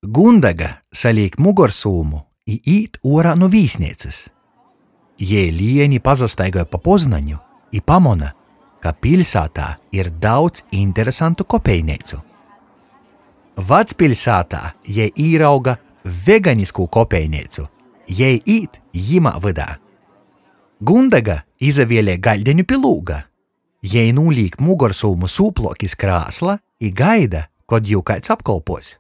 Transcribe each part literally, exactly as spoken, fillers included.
Gundega salīk mugorsūmu i īt uorā nu vīsneicys. Jei lieni pasastaigoj pa Poznaņu i pamona, ka piļsātā ir daudz interesantu kopejneicu. Vacpiļsātā jei īrauga veganiskū kopejneicu, jei īt jimā vydā. Gundega izavielej gaļdeņu pi lūga. Jei nūlīk mugorsūmu sūpluok iz krāsla i gaida, kod jū kaids apkolpuos.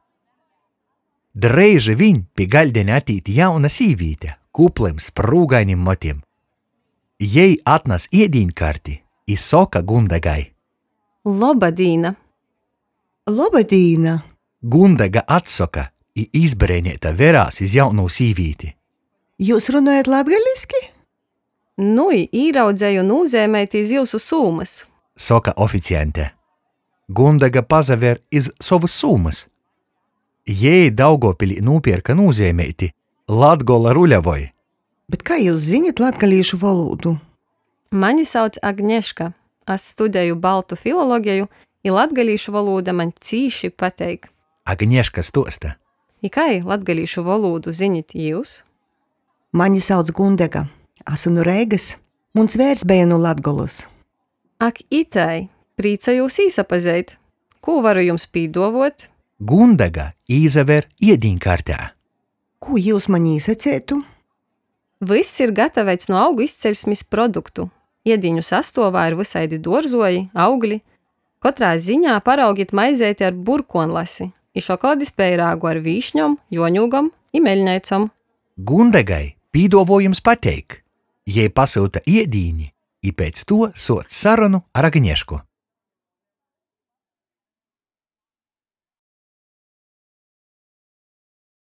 Dreiži viņ pi gaļdeņa atīt jauna sīvīte kuplim, sprūgainim motim. Jei atnas iedīņkarti i soka Gundegai. Loba dīna! Loba dīna! Gundega atsoka i izbreineita verās iz jaunū sīvīti. Jūs runojat latgaliski? Nui, īraudzeju nūzeimeiti iz jiusu sūmys. Soka oficiante. Gundega pasaver iz sovys sūmys. Jei Daugovpilī nūpierka nūzeimeiti Latgola ruļavoj. Bet kai jūs zinit latgalīšu volūdu? Mani sauc Agneška. Es studeju baltu filologeju, i latgalīšu volūda maņ cīši pateik. Agnieška stuosta. I kai latgalīšu volūdu zinit jius? Mani sauc Gundega. Asu nu Reigys. Muns veirs beja nu Latgolys. Ak, itai! Prīcojūs īsapazeit! Kū varu jums pīduovuot? Gundega īsaver iedīņkartē. Kū jūs maņ īsaceitu? Vyss ir gataveits nu augu izceļsmis produktu. Iedīņu sastuovā ir vysaidi duorzuoji, augli. Kotrā ziņā paraugit maizeiti ar burkuonlasi i šokoladis peirāgu ar vīšņom, juoņūgom i meļneicom. Gundegai pīduovuojums pateik. Jei pasyuta iedīni i pēc tuo suoc sarunu ar Agniešku.